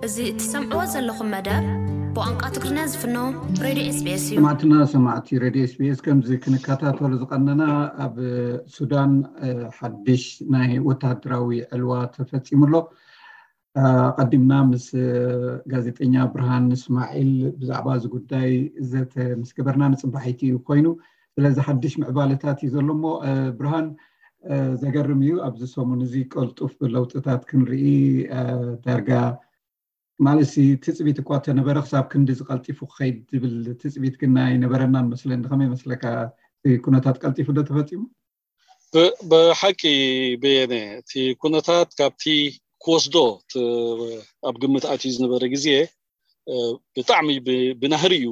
እዚ እትሰምዕዎ ዘለኹም መደብ ብቋንቋ ትግርኛ ዝፍኖ ሬድዮ ኤስቢኤስ እዩ። ሰማዕትና ሰማዕቲ ሬድዮ ኤስቢኤስ፣ ከምዚ ክንከታተሎ ዝቐነና ኣብ ሱዳን ሓድሽ ናይ ወታደራዊ ዕልዋ ተፈፂሙ ኣሎ። ኣቐዲምና ምስ ጋዜጠኛ ብርሃን እስማዒል ብዛዕባ እዚ ጉዳይ ዘተ ምስ ገበርና ንፅባሒቲ እዩ ኮይኑ። ስለዚ ሓድሽ ምዕባለታት እዩ ዘሎ እሞ ብርሃን፣ ዘገርም እዩ። ኣብዚ ሰሙን እዚ ቀልጡፍ ለውጥታት ክንርኢ፣ ዳርጋ ማለት ትፅቢት እኳ ተነበረ ክሳብ ክንዲ ዝቀልጢፉ ክኸይድ ዝብል ትፅቢት ግን ኣይነበረናን መስለኒ። ከመይ መስለካ? ኩነታት ቀልጢፉ ዶ ተፈፂሙ? ብሓቂ በየነ፣ እቲ ኩነታት ካብቲ ክወስዶ ኣብ ግምት ኣትዩ ዝነበረ ግዜ ብጣዕሚ ብናህሪ እዩ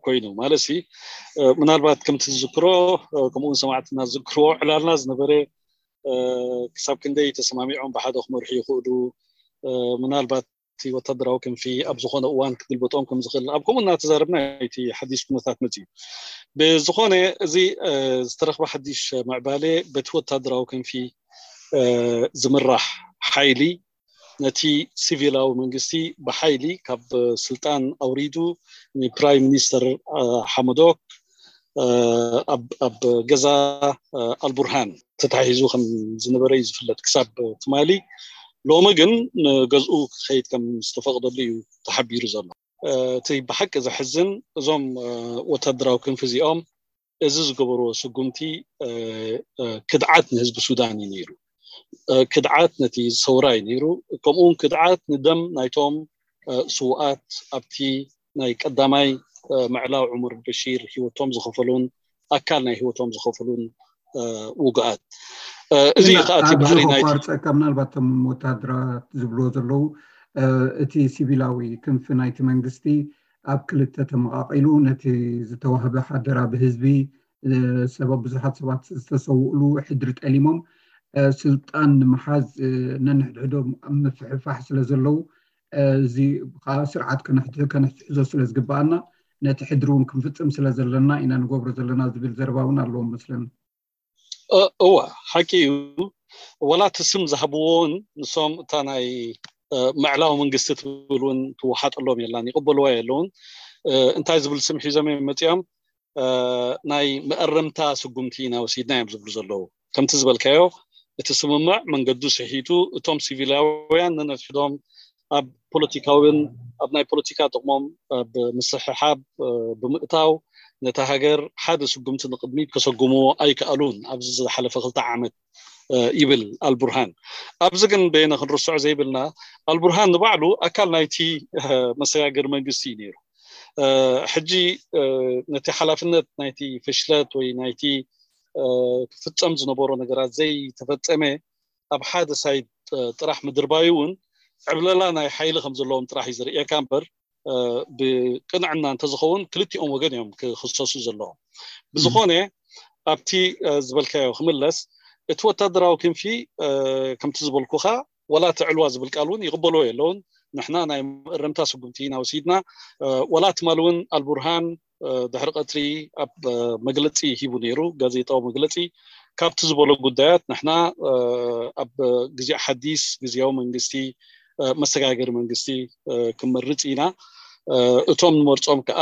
ኮይኑ። ማለት ምናልባት ከምቲ ዝዝክሮ፣ ከምኡውን ሰማዕትና ዝዝክርዎ፣ ዕላልና ዝነበረ ክሳብ ክንደይ ተሰማሚዖም ብሓደ ክመርሑ ይኽእሉ፣ ምናልባት እቲ ወታደራዊ ክንፊ ኣብ ዝኾነ እዋን ክግልበጦም ከም ዝኽእል ኣብ ከምኡ እናተዛረብና እቲ ሓዲሽ ኩነታት መፅዩ። ብዝኾነ እዚ ዝተረኽበ ሓዲሽ ምዕባለ በቲ ወታደራዊ ክንፊ ዝምራሕ ሓይሊ ነቲ ሲቪላዊ መንግስቲ ብሓይሊ ካብ ስልጣን ኣውሪዱ ንፕራይም ሚኒስተር ሓመዶክ ኣብ ገዛ ኣልቡርሃን ተታሒዙ ከም ዝነበረ እዩ ዝፍለጥ ክሳብ ትማሊ። ሎሚ ግን ንገዝኡ ክኸይድ ከም ዝተፈቕደሉ እዩ ተሓቢሩ ዘሎ። እቲ ብሓቂ ዘሕዝን፣ እዞም ወታደራዊ ክንፊ እዚኦም እዚ ዝገበርዎ ስጉምቲ ክድዓት ንህዝቢ ሱዳን እዩ ነይሩ። ክድዓት ነቲ ሰውራ እዩ ነይሩ። ከምኡውን ክድዓት ንደም ናይቶም ስውኣት ኣብቲ ናይ ቀዳማይ ምዕላው ዑመር በሺር ህይወቶም ዝኸፈሉን ኣካል ናይ ህይወቶም ዝኸፈሉን ውግኣት። እዚ እዩ ከዓ እቲ ባህሪ ናይ ቋርፀካ፣ ምናልባት እቶም ወታደራት ዝብልዎ ዘለዉ እቲ ሲቪላዊ ክንፊ ናይቲ መንግስቲ ኣብ ክልተ ተመቓቒሉ ነቲ ዝተዋህበ ሓደራ ብህዝቢ ሰበብ ብዙሓት ሰባት ዝተሰውእሉ ሕድሪ ጠሊሞም ስልጣን ንምሓዝ ነንሕድሕዶም ኣብ ምፍሕፋሕ ስለ ዘለዉ፣ እዚ ከዓ ስርዓት ከነሕትሕዞ ስለ ዝግበኣና ነቲ ሕድሪ እውን ክንፍፅም ስለ ዘለና ኢና ንገብሮ ዘለና ዝብል ዘረባ እውን ኣለዎም መስለኒ። እወ፣ ሓቂ እዩ። ወላ እቲ ስም ዝሃብዎ እውን ንሶም እታ ናይ ምዕላዊ መንግስቲ ትብል እውን ትወሓጠሎም የላን፣ ይቕበልዋ የለውን። እንታይ ዝብል ስም ሒዞም እዮም መፂኦም? ናይ መእረምታ ስጉምቲ ኢና ወሲድና እዮም ዝብሉ ዘለዉ። ከምቲ ዝበልካዮ፣ እቲ ስምምዕ መንገዱ ስሒቱ፣ እቶም ሲቪላውያን ነነትሕዶም ኣብ ፖለቲካውን ኣብ ናይ ፖለቲካ ጥቕሞም ኣብ ምስሕሓብ ብምእታው ነታ ሃገር ሓደ ስጉምቲ ንቕድሚት ከሰጉምዎ ኣይከኣሉን ኣብዚ ዝሓለፈ ክልተ ዓመት ይብል ኣልቡርሃን። ኣብዚ ግን በየነ ክንርስዖ ዘይብልና ኣልቡርሃን ንባዕሉ ኣካል ናይቲ መሰጋገሪ መንግስቲ እዩ ነይሩ። ሕጂ ነቲ ሓላፍነት ናይቲ ፍሽለት ወይ ናይቲ ክፍፀም ዝነበሮ ነገራት ዘይተፈፀመ ኣብ ሓደ ሳይድ ጥራሕ ምድርባዩ እውን ዕብለላ ናይ ሓይሊ ከም ዘለዎም ጥራሕ እዩ ዝርእየካ እምበር ብቅንዕና እንተዝኸውን ክልቲኦም ወገን እዮም ክኽሰሱ ዘለዎም። ብዝኾነ ኣብቲ ዝበልካዮ ክምለስ፣ እቲ ወታደራዊ ክንፊ ከምቲ ዝበልኩኻ ዋላ እቲ ዕልዋ ዝብል ቃል እውን ይቕበልዎ የለውን። ንሕና ናይ መእረምታ ስጉምቲ ኢና ወሲድና። ዋላ ትማሊ እውን ኣልቡርሃን ድሕሪ ቀትሪ ኣብ መግለፂ ሂቡ ነይሩ፣ ጋዜጣዊ መግለፂ። ካብቲ ዝበሎ ጉዳያት ንሕና ኣብ ግዜ ሓዲስ ግዜያዊ መንግስቲ መሰጋገሪ መንግስቲ ክንመርፅ ኢና። እቶም ንመርፆም ከዓ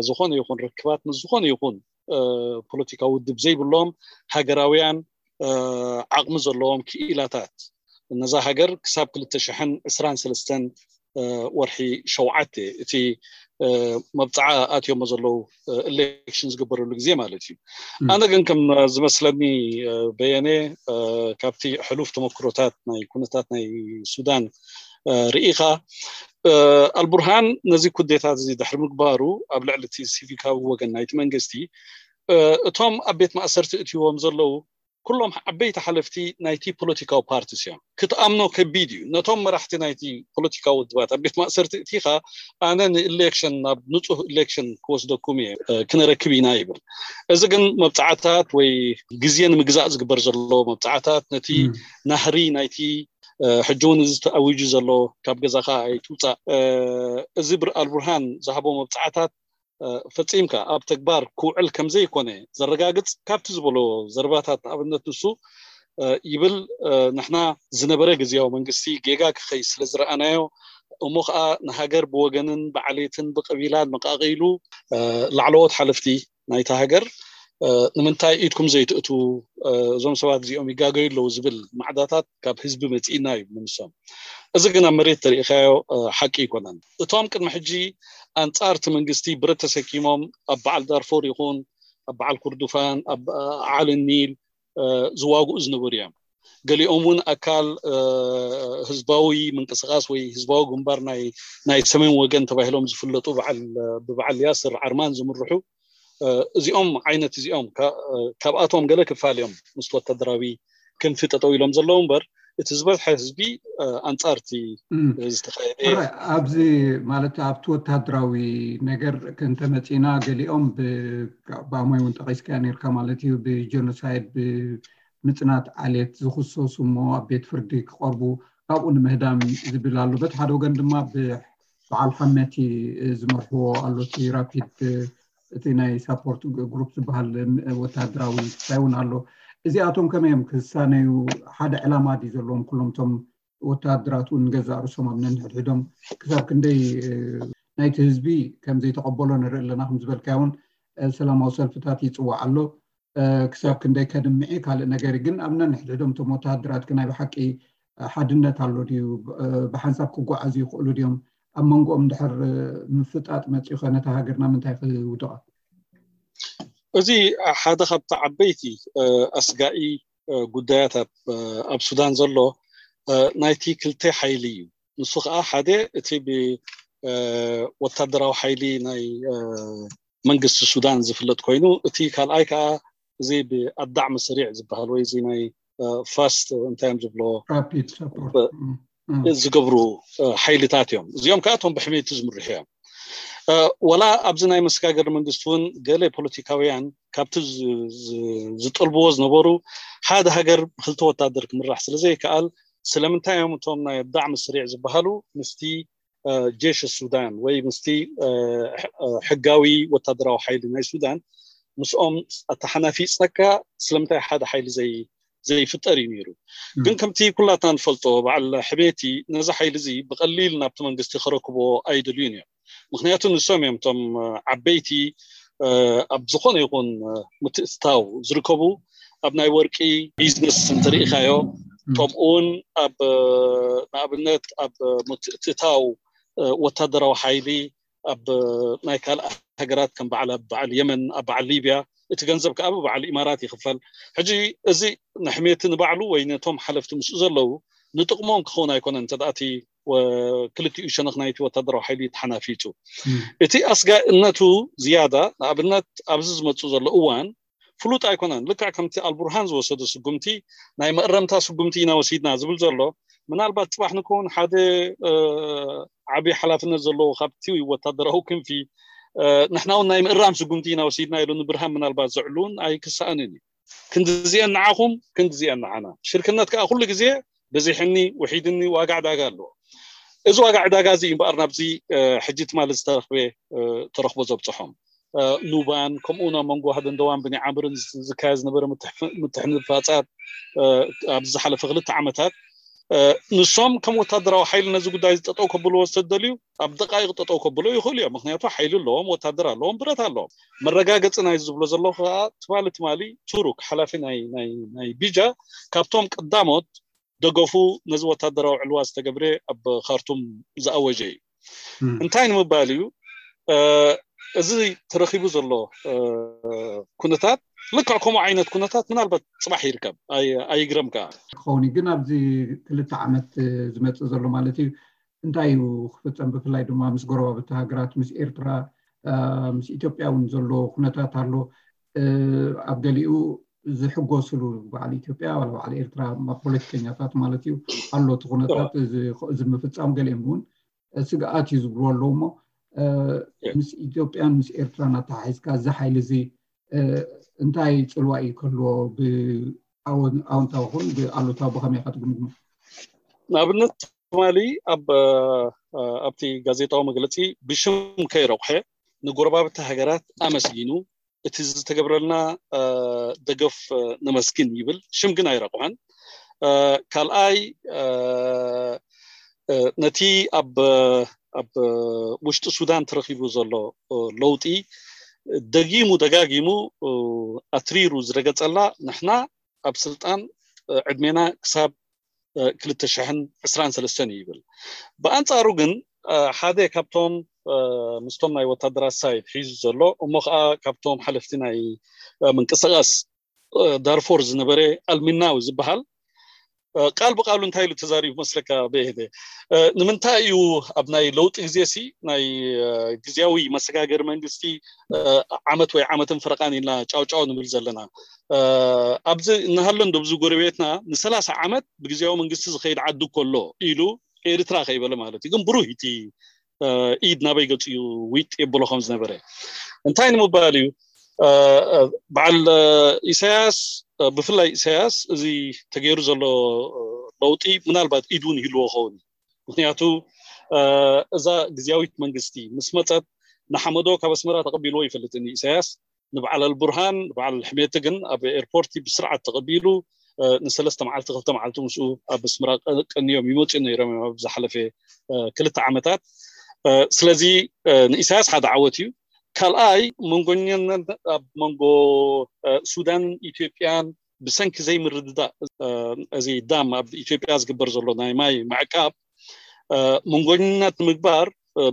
ዝኾነ ይኹን ርክባት ምስ ዝኾነ ይኹን ፖለቲካዊ ውድብ ዘይብሎም ሃገራውያን ዓቕሚ ዘለዎም ክኢላታት ነዛ ሃገር ክሳብ ክልተ ሽሕን ዕስራን ሰለስተን ወርሒ ሸውዓተ እቲ መብፅዓ ኣትዮሞ ዘለዉ ኢሌክሽን ዝግበረሉ ግዜ ማለት እዩ። ኣነ ግን ከም ዝመስለኒ በየነ ካብቲ ሕሉፍ ተመክሮታት ናይ ኩነታት ናይ ሱዳን ርኢኻ ኣልቡርሃን ነዚ ኩዴታት እዚ ድሕሪ ምግባሩ ኣብ ልዕሊ እቲ ሲቪካዊ ወገን ናይቲ መንግስቲ እቶም ኣብ ቤት ማእሰርቲ እትይዎም ዘለዉ ኩሎም ዓበይቲ ሓለፍቲ ናይቲ ፖለቲካዊ ፓርቲስ እዮም። ክትኣምኖ ከቢድ እዩ። ነቶም መራሕቲ ናይቲ ፖለቲካዊ ውድባት ኣብ ቤት ማእሰርቲ እቲኻ ኣነ ንኢሌክሽን ናብ ንፁህ ኢሌክሽን ክወስደኩም እየ ክነረክብ ኢና ይብል። እዚ ግን መብፃዕታት ወይ ግዜ ንምግዛእ ዝግበር ዘሎ መብፃዕታት ነቲ ናህሪ ናይቲ ሕጂ እውን እዚ ተኣዊጁ ዘሎ ካብ ገዛኻ ኣይትውፃእ እዚ ኣልቡርሃን ዝሃቦ መብፃዕታት ፈፂምካ ኣብ ተግባር ክውዕል ከምዘይኮነ ዘረጋግፅ ካብቲ ዝበሎ ዘረባታት ንኣብነት ንሱ ይብል ንሕና ዝነበረ ግዜያዊ መንግስቲ ጌጋ ክኸይ ስለ ዝረኣናዮ እሞ ከዓ ንሃገር ብወገንን ብዓሌትን ብቀቢላን መቃቂሉ ላዕለዎት ሓለፍቲ ናይታ ሃገር ንምንታይ ኢድኩም ዘይትእቱ? እዞም ሰባት እዚኦም ይጋገዩ ኣለዉ ዝብል ማዕዳታት ካብ ህዝቢ መፂእና እዩ ንምሶም። እዚ ግን ኣብ መሬት ተሪኢኻዮ ሓቂ ኣይኮነን። እቶም ቅድሚ ሕጂ ኣንፃር እቲ መንግስቲ ብረት ተሰኪሞም ኣብ በዓል ዳርፎር ይኹን ኣብ በዓል ኩርዱፋን ኣብ ዓሊ ኒል ዝዋግኡ ዝነበሩ እዮም። ገሊኦም እውን ኣካል ህዝባዊ ምንቅስቃስ ወይ ህዝባዊ ግንባር ናይ ሰሜን ወገን ተባሂሎም ዝፍለጡ ብበዓል ያስር ዓርማን ዝምርሑ እዚኦም ዓይነት እዚኦም ካብኣቶም ገለ ክፋል እዮም ምስቲ ወታደራዊ ክንፊ ጠጠው ኢሎም ዘለዉ እምበር እቲ ዝበዝሐ ህዝቢ ኣንፃርቲ ዝተካየደ። ኣብዚ ማለት ኣብቲ ወታደራዊ ነገር ክንተመፂና ገሊኦም ብኣሞይ እውን ጠቂስካ ነርካ ማለት እዩ ብጀኖሳይድ ብምፅናት ዓሌት ዝክሰሱ እሞ ኣብ ቤት ፍርዲ ክቀርቡ ካብኡ ንምህዳም ዝብል ኣሎ። በቲ ሓደ ወገን ድማ በዓል ሓመቲ ዝመርሕዎ ኣሎ እቲ ራፒድ እቲ ናይ ሳፖርት ግሩፕ ዝበሃል ወታደራዊ ክሳይ እውን ኣሎ። እዚኣቶም ከመይ እዮም ክሳነዩ? ሓደ ዕላማ ድዩ ዘለዎም? ኩሎም እቶም ወታደራት እውን ንገዛእ ርእሶም ኣብ ነንሕድሕዶም ክሳብ ክንደይ ናይቲ ህዝቢ ከም ዘይተቐበሎ ንርኢ ኣለና። ከም ዝበልካዮ እውን ሰላማዊ ሰልፍታት ይፅዋዕ ኣሎ። ክሳብ ክንደይ ከድምዒ ካልእ ነገር ግን ኣብ ነንሕድሕዶም እቶም ወታደራት ናይ ብሓቂ ሓድነት ኣሎ ድዩ? ብሓንሳብ ክጓዓዙ ይኽእሉ ድዮም? ኣብ መንጎኦም ድሕር ምፍጣጥ መፂኡ ከ ነታ ሃገርና ምንታይ ክውድቓ? እዚ ሓደ ካብቲ ዓበይቲ ኣስጋኢ ጉዳያት ኣብ ሱዳን ዘሎ ናይቲ ክልተ ሓይሊ እዩ። ንሱ ከዓ ሓደ እቲ ብወታደራዊ ሓይሊ ናይ መንግስቲ ሱዳን ዝፍለጥ ኮይኑ እቲ ካልኣይ ከዓ እዚ ብኣዳዕ መስሪዕ ዝበሃል ወይ እዚ ናይ ፋስት እንታይ እዮም ዝብሎ ዝገብሩ ሓይልታት እዮም። እዚኦም ከዓ እቶም ብሕሜቲ ዝምርሑ እዮም። ወላ ኣብዚ ናይ መሰጋገሪ መንግስቲ እውን ገለ ፖለቲካውያን ካብቲ ዝጠልብዎ ዝነበሩ ሓደ ሃገር ብክልተ ወታደር ክምራሕ ስለዘይከኣል ስለምንታይ እዮም እቶም ናይ ኣዳዕ መስሪዕ ዝበሃሉ ምስቲ ጀሽ ሱዳን ወይ ምስቲ ሕጋዊ ወታደራዊ ሓይሊ ናይ ሱዳን ምስኦም ኣተሓናፊፅካ ስለምንታይ ሓደ ሓይሊ ዘይፍጠር እዩ ነይሩ። ግን ከምቲ ኩላትና ንፈልጦ በዓል ሕሜቲ ነዚ ሓይሊ እዚ ብቀሊል ናብቲ መንግስቲ ክረክቦ ኣይደልዩን እዮም። ምክንያቱ ንሶም እዮም እቶም ዓበይቲ ኣብ ዝኾነ ይኹን ምትእትታው ዝርከቡ ኣብ ናይ ወርቂ ቢዝነስ እንተሪኢኻዮ ከምኡውን ኣብ ንኣብነት ኣብ ምትእትታው ወታደራዊ ሓይሊ ኣብ ናይ ካልእ ሃገራት ከም በዓል ኣብ በዓል የመን ኣብ በዓል ሊብያ እቲ ገንዘብ ከዓ ብበዓል ኢማራት ይኽፈል። ሕጂ እዚ ንሕሜቲ ንባዕሉ ወይ ነቶም ሓለፍቲ ምስኡ ዘለዉ ንጥቕሞም ክኸውን ኣይኮነን እንተደኣ እቲ ክልቲኡ ሸነኽ ናይቲ ወታደራዊ ሓይሊ ተሓናፊፁ። እቲ ኣስጋእነቱ ዝያዳ ንኣብነት ኣብዚ ዝመፁ ዘሎ እዋን ፍሉጥ ኣይኮነን። ልክዕ ከምቲ ኣልቡርሃን ዝወሰዶ ስጉምቲ ናይ መእረምታ ስጉምቲ ኢና ወሲድና ዝብል ዘሎ ምናልባት ፅባሕ ንከውን ሓደ ዓብዪ ሓላፍነት ዘለዎ ካብቲ ወታደራዊ ክንፊ ንሕና እውን ናይ ምእራም ስጉምቲ ኢና ወሲድና ኢሉ ንብርሃን ምናልባት ዘዕሉን ኣይክሰኣንን እዩ። ክንድዚአን ንዓኹም ክንድዚአን ንዓና። ሽርክነት ከዓ ኩሉ ግዜ በዚሕኒ ውሒድኒ ዋጋ ዕዳጋ ኣለዎ። እዚ ዋጋ ዕዳጋ እዚ እዩ እምበኣር ናብዚ ሕጂ ትማሊ ዝተረኽበ ተረኽቦ ዘብፅሖም። ኑባን ከምኡ ናብ መንጎ ሃደንደዋን ብኒ ዓምርን ዝካየድ ዝነበረ ምትሕንፋፃት ኣብ ዝሓለፈ ክልተ ዓመታት ንሶም ከም ወታደራዊ ሓይሊ ነዚ ጉዳይ ጠጠው ከብልዎ ዝተደልዩ ኣብ ደቃይቅ ጠጠው ከብሎ ይኽእሉ እዮም። ምክንያቱ ሓይሊ ኣለዎም፣ ወታደር ኣለዎም፣ ብረት ኣለዎም። መረጋገፂ ናይ ዝብሎ ዘለኹ ከዓ ትማሊ ትማሊ ቱሩክ ሓላፊ ናይ ቢጃ ካብቶም ቀዳሞት ደገፉ ነዚ ወታደራዊ ዕልዋ ዝተገብረ ኣብ ካርቱም ዝኣወጀ እዩ። እንታይ ንምባል እዩ እዚ ተረኺቡ ዘሎ ኩነታት ልክዕ ከምኡ ዓይነት ኩነታት ምናልባት ፅባሕ ይርከብ ኣይግረም ከዓ ክኸውን ግን ኣብዚ ክልተ ዓመት ዝመፅእ ዘሎ ማለት እዩ እንታይ እዩ ክፍፀም ብፍላይ ድማ ምስ ጎረባብቲ ሃገራት ምስ ኤርትራ ምስ ኢትዮጵያ እውን ዘሎ ኩነታት ኣሎ ኣብ ገሊኡ ዝሕጎስሉ በዓል ኢትዮጵያ በዓል ኤርትራ ፖለቲከኛታት ማለት እዩ ኣሎ እቲ ኩነታት እዚ ምፍፃም ገሊኦም እውን ስግኣት እዩ ዝብልዎ ኣለዉ እሞ ምስ ኢትዮጵያን ምስ ኤርትራን ኣተሓሒዝካ እዚ ሓይሊ እዚ እንታይ ፅልዋ እዩ ክህልዎ ብኣወንታዊ ኹን ብኣሉታዊ ብኸመይ ኢኻ ትግምግሞ? ንኣብነት ትማሊ ኣብ ኣብቲ ጋዜጣዊ መግለፂ ብሽም ከይረቑሐ ንጎረባብቲ ሃገራት ኣመስጊኑ እቲ ዝተገብረልና ደገፍ ነመስግን ይብል። ሽም ግን ኣይረቑሐን። ካልኣይ ነቲ ኣብ ኣብ ውሽጢ ሱዳን ተረኺቡ ዘሎ ለውጢ ደጊሙ ደጋጊሙ ኣትሪሩ ዝረገጸላ፣ ንሕና ኣብ ስልጣን ዕድሜና ክሳብ ክልተ ሽሕን ዕስራን ሰለስተን እዩ ይብል። ብኣንጻሩ ግን ሓደ ካብቶም ምስቶም ናይ ወታደራት ሳይድ ሒዙ ዘሎ፣ እሞ ከዓ ካብቶም ሓለፍቲ ናይ ምንቅስቃስ ዳርፎር ዝነበረ ኣልሚናዊ ዝበሃል ቃል ብቃሉ እንታይ ኢሉ ተዛሪቡ መስለካ? ብሄደ ንምንታይ እዩ ኣብ ናይ ለውጢ ግዜ ሲ ናይ ግዜያዊ መሰጋገሪ መንግስቲ ዓመት ወይ ዓመትን ፍረቃን ኢልና ጫውጫው ንብል ዘለና? ኣብዚ እናሃለን ዶብዚ ጎረቤትና ንሰላሳ ዓመት ብግዜያዊ መንግስቲ ዝኸይድ ዓዲ እኮ ኣሎ ኢሉ ኤርትራ ከይበለ ማለት እዩ። ግን ብሩህ እቲ ኢድ ናበይ ገጹ እዩ ዊጥ የብሎ ከም ዝነበረ እንታይ ንምባል እዩ? በዓል ኢሳያስ፣ ብፍላይ ኢሳያስ፣ እዚ ተገይሩ ዘሎ ለውጢ ምናልባት ኢድ እውን ይህልዎ ኸውን። ምክንያቱ እዛ ግዜያዊት መንግስቲ ምስ መፀት ንሓመዶ ካብ ኣስመራ ተቐቢልዎ ይፈልጥን ኢሳያስ። ንበዓል ኣልቡርሃን ንበዓል ሕሜቲ ግን ኣብ ኤርፖርቲ ብስርዓት ተቐቢሉ ንሰለስተ መዓልቲ ክልተ መዓልቲ ምስኡ ኣብ ኣስመራ ቀንዮም ይመፅኡ ነይሮም እዮም ኣብ ዝሓለፈ ክልተ ዓመታት። ስለዚ ንኢሳያስ ሓደ ዓወት እዩ። ካልኣይ መንጎኛነት ኣብ መንጎ ሱዳንን ኢትዮጵያን ብሰንኪ ዘይምርድዳእ እዚ ዳም ኣብ ኢትዮጵያ ዝግበር ዘሎ ናይ ማይ ምዕቃብ መንጎኛነት ንምግባር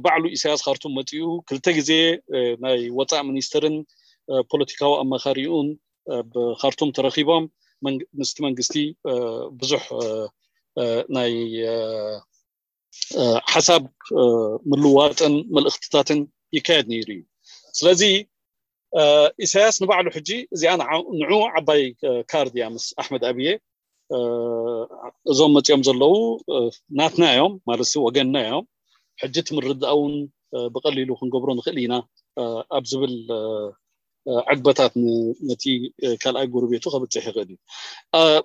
ባዕሉ ኢሳያስ ካርቱም መፂኡ ክልተ ግዜ ናይ ወፃእ ሚኒስትርን ፖለቲካዊ ኣማኻሪኡን ኣብ ካርቱም ተረኺቦም ምስቲ መንግስቲ ብዙሕ ናይ ሓሳብ ምልዋጥን መልእኽትታትን ይካየድ ነይሩ እዩ። ስለዚ ኢሳያስ ንባዕሉ ሕጂ እዚኣ ንዑ ዓባይ ካርድ እያ ምስ ኣሕመድ ኣብየ እዞም መፂኦም ዘለዉ ናትና እዮም ማለት ወገንና እዮም። ሕጂ ትምርዳእ እውን ብቀሊሉ ክንገብሮ ንኽእል ኢና ኣብ ዝብል ዕግበታት ነቲ ካልኣይ ጎረቤቱ ከብፅሕ ይኽእል እዩ።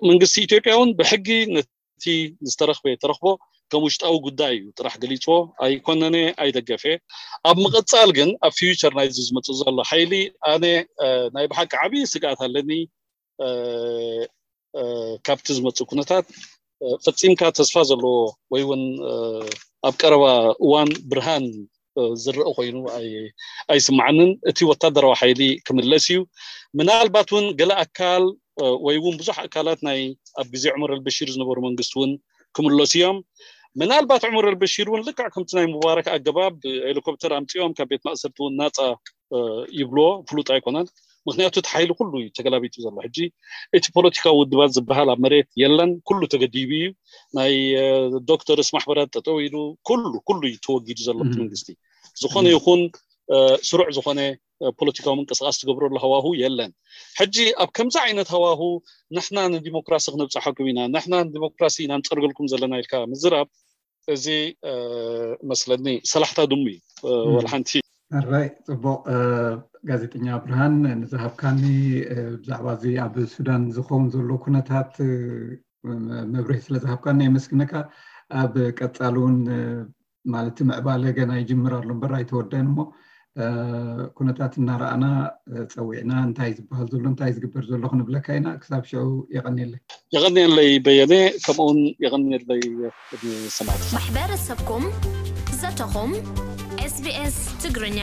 መንግስቲ ኢትዮጵያ እውን ብሕጊ ነቲ ዝተረኽበ ተረኽቦ ከም ውሽጣዊ ጉዳይ እዩ ጥራሕ ገሊፅዎ። ኣይኮነነ ኣይደገፈ። ኣብ ምቕፃል ግን ኣብ ፊውቸር ናይዚ ዝመፅእ ዘሎ ሓይሊ ኣነ ናይ ብሓቂ ዓብዪ ስግኣት ኣለኒ። ካብቲ ዝመፅእ ኩነታት ፈፂምካ ተስፋ ዘለዎ ወይ እውን ኣብ ቀረባ እዋን ብርሃን ዝረአ ኮይኑ ኣይስማዓንን። እቲ ወታደራዊ ሓይሊ ክምለስ እዩ። ምናልባት እውን ገለ ኣካል ወይ እውን ብዙሕ ኣካላት ናይ ኣብ ግዜ ዑመር ኣልበሺር ዝነበሩ መንግስቲ እውን ክምለሱ እዮም። ምናልባት ዑመር ኣልበሺር እውን ልክዕ ከምቲ ናይ ሙባረክ ኣገባብ ሄሊኮፕተር ኣምፂኦም ካብ ቤት ማእሰርቲ እውን ናፃ ይብልዎ ፍሉጥ ኣይኮነን። ምክንያቱ እቲ ሓይሊ ኩሉ እዩ ተገላቢጡ ዘሎ። ሕጂ እቲ ፖለቲካዊ ውድባት ዝበሃል ኣብ መሬት የለን። ኩሉ ተገዲቡ እዩ። ናይ ዶክተርስ ማሕበራት ጠጠው ኢሉ ኩሉ ኩሉ እዩ ተወጊዱ ዘሎ እቲ መንግስቲ። ዝኾነ ይኹን ስሩዕ ዝኾነ ፖለቲካዊ ምንቅስቃስ ትገብረሉ ሃዋሁ የለን። ሕጂ ኣብ ከምዚ ዓይነት ሃዋሁ ንሕና ንዲሞክራሲ ክነብፅሐኩም ኢና፣ ንሕና ንዲሞክራሲ ኢና ንፀርገልኩም ዘለና ኢልካ ምዝራብ እዚ መስለኒ ሰላሕታ ድሙ እዩ። ወላ ሓንቲ። ራይ ፅቡቅ። ጋዜጠኛ ብርሃን ንዝሃብካኒ ብዛዕባ እዚ ኣብ ሱዳን ዝኸውን ዘሎ ኩነታት መብርሂ ስለ ዝሃብካኒ የመስግነካ። ኣብ ቀፃሊ እውን ማለት ምዕባለ ገና ይጅምር ኣሎ እምበር ኣይተወደን እሞ ኩነታት እናረኣና ፀዊዕና እንታይ ዝበሃል ዘሎ እንታይ ዝግበር ዘሎ ክንብለካ ኢና። ክሳብ ሽዑ የቐንየለይ። የቐንየለይ በየነ፣ ከምኡውን የቐንየለይ ሰማዕቲ። ማሕበረሰብኩም ዘተኹም ኤስቢኤስ ትግርኛ።